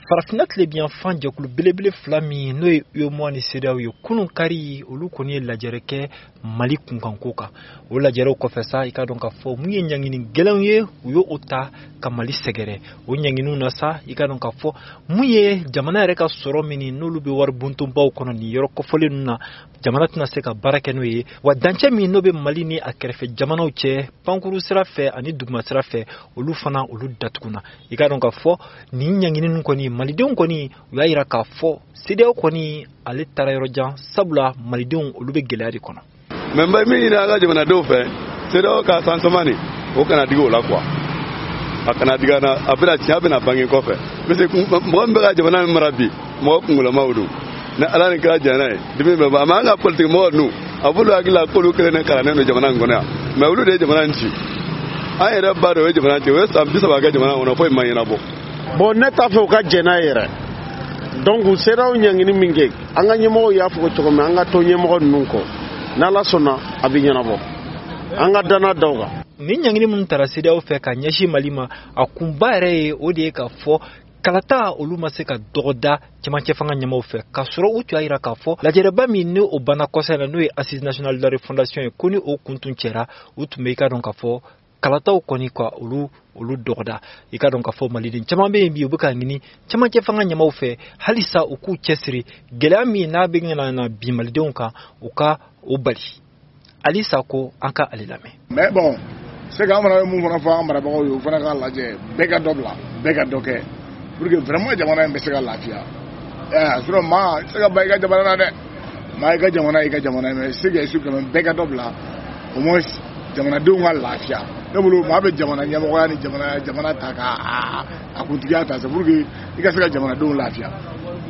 Farafinna tilebinyanfan jɛkulu belebele fila min, n'o ye UEMOA ni CEDEAO ye, kunun kari, olu kɔni ye lajɛrɛ kɛ Mali kunkanko kan. O lajɛrɛw kɔfɛ sa, i ka dɔn k'a fɔ mun ye ɲangini gɛlɛnw ye, u ye o ta ka Mali sɛgɛrɛ. O ɲanginiw na sa, i ka dɔn k'a fɔ mun ye jamana yɛrɛ ka sɔrɔ min, n'olu bɛ wari bontonbaw kɔnɔ nin yɔrɔ kɔfɔlen ninnu na, jamana tɛna se ka baara kɛ n'o ye. Wa dancɛ min n'o bɛ Mali ni a kɛrɛfɛ jamanaw cɛ, pankuru sira fɛ ani duguma sira fɛ, olu fana, olu datuguna. I ka dɔn k'a fɔ nin ɲangini ninnu kɔni, malidenw kɔni, u y'a yira k'a fɔ CEDEAO kɔni, ale taara yɔrɔ jan, sabula malidenw, olu bɛ gɛlɛya de kɔnɔ. Mɛ n bɛ min ɲini an ka jamanadenw fɛ, CEDEAO ka sansama nin, o kana digi o la quoi, a kana digi an na. A bɛna tiɲɛ, bɛna bange kɔfɛ, parce que mɔgɔ min bɛ ka jamana min mara bi, mɔgɔ kunkolamaw don. Ni Ala ni kira jɛnna ye, dimi bɛ ban. Mais an ka politique mɔgɔ ninnu, a b'olu hakili la k'olu kelen de kalannen don jamana in kɔnɔ yan, mais olu de ye jamana in ci. An yɛrɛ ba dɔ o ye jamana ci, o ye san 30 kɛ jamana kɔnɔ, foyi ma ɲɛnabɔ. Bon, ne t'a fɛ u ka jɛn n'a ye yɛrɛ. Donc CEDEAO ɲangini min kɛ, an ka ɲɛmɔgɔw y'a fɔ cogo min, an ka to ɲɛmɔgɔ ninnu kɔ. N'Ala sɔnna, a bɛ ɲɛnabɔ. An ka danna da o kan. Nin ɲangini minnu tara CEDEAO fɛ ka ɲɛsin Mali ma, a kunba yɛrɛ ye o de ye k'a fɔ kalata, olu ma se ka dɔgɔda cɛmancɛ fanga ɲɛmaw fɛ, k'a sɔrɔ u tun y'a yira k'a fɔ lajɛrɛba min ni o banna kɔsa in na, n'o ye Assise nationale de la refondation ye, ko ni o kun tun cɛra, u tun bɛ, i ka dɔn k'a fɔ, kalataw kɔni ka olu dɔgɔda. I ka dɔn k'a fɔ maliden caman bɛ yen bi, u bɛ ka ɲini cɛmancɛ fanga ɲɛmaw fɛ halisa u k'u cɛsiri, gɛlɛya min n'a bɛ na bi malidenw kan, u ka o bali. Alisa ko an ka ale lamɛn. Mais bon, c'est que an fana bɛ mun fana fɔ an marabagaw ye, u fana k'a lajɛ, bɛɛ ka dɔ bila, bɛɛ ka dɔ kɛ pour que vraiment jamana in bɛ se ka lafiya. Sinon maa i tɛ se ka ban i ka jamana na dɛ. Maa, i ka jamana, i ka jamana, mais c'est que quand même bɛɛ ka dɔ bila, au moins jamanadenw ka lafiya. Ne bolo, maa bɛ jamana ɲɛmɔgɔya ni jamana ta ka a kuntigiya ta, c'est pour que i ka se ka jamanadenw lafiya.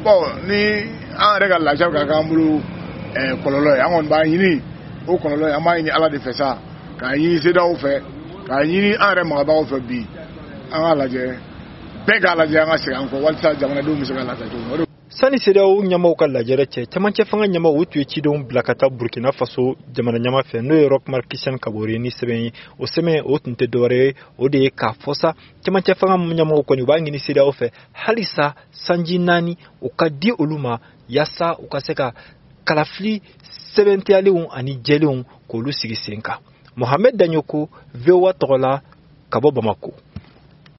Bon, ni an yɛrɛ ka lafiya bɛ ka k'an bolo kɔlɔlɔ ye, an kɔni b'a ɲini o kɔlɔlɔ ye. An b'a ɲini Ala de fɛ sa, k'a ɲini CEDEAO fɛ, k'a ɲini an yɛrɛ marabagaw fɛ bi, an k'a lajɛ, bɛɛ k'a lajɛ, an ka segin an kɔ walasa jamanadenw bɛ se ka lafiya cogo min. Sani CEDEAO ɲɛmaw ka lajɛrɛ cɛ, cɛmancɛ fanga ɲɛmaw, u tun ye cidenw bila ka taa Burkina Faso jamana ɲɛma fɛ, n'o ye Roch Marc Christian Kabore, ni sɛbɛn ye. O sɛbɛn o tun tɛ dɔwɛrɛ ye, o de ye k'a fɔ sa, cɛmancɛ fanga ɲɛmaw kɔni, u b'a ɲini CEDEAO fɛ halisa sanji 4 o ka di olu ma, yaasa u ka se ka kalafili sɛbɛntiyalenw ani jɛlenw k'olu sigi sen kan. Mohamed Dagnoko, VOA tɔgɔ la, ka bɔ Bamako.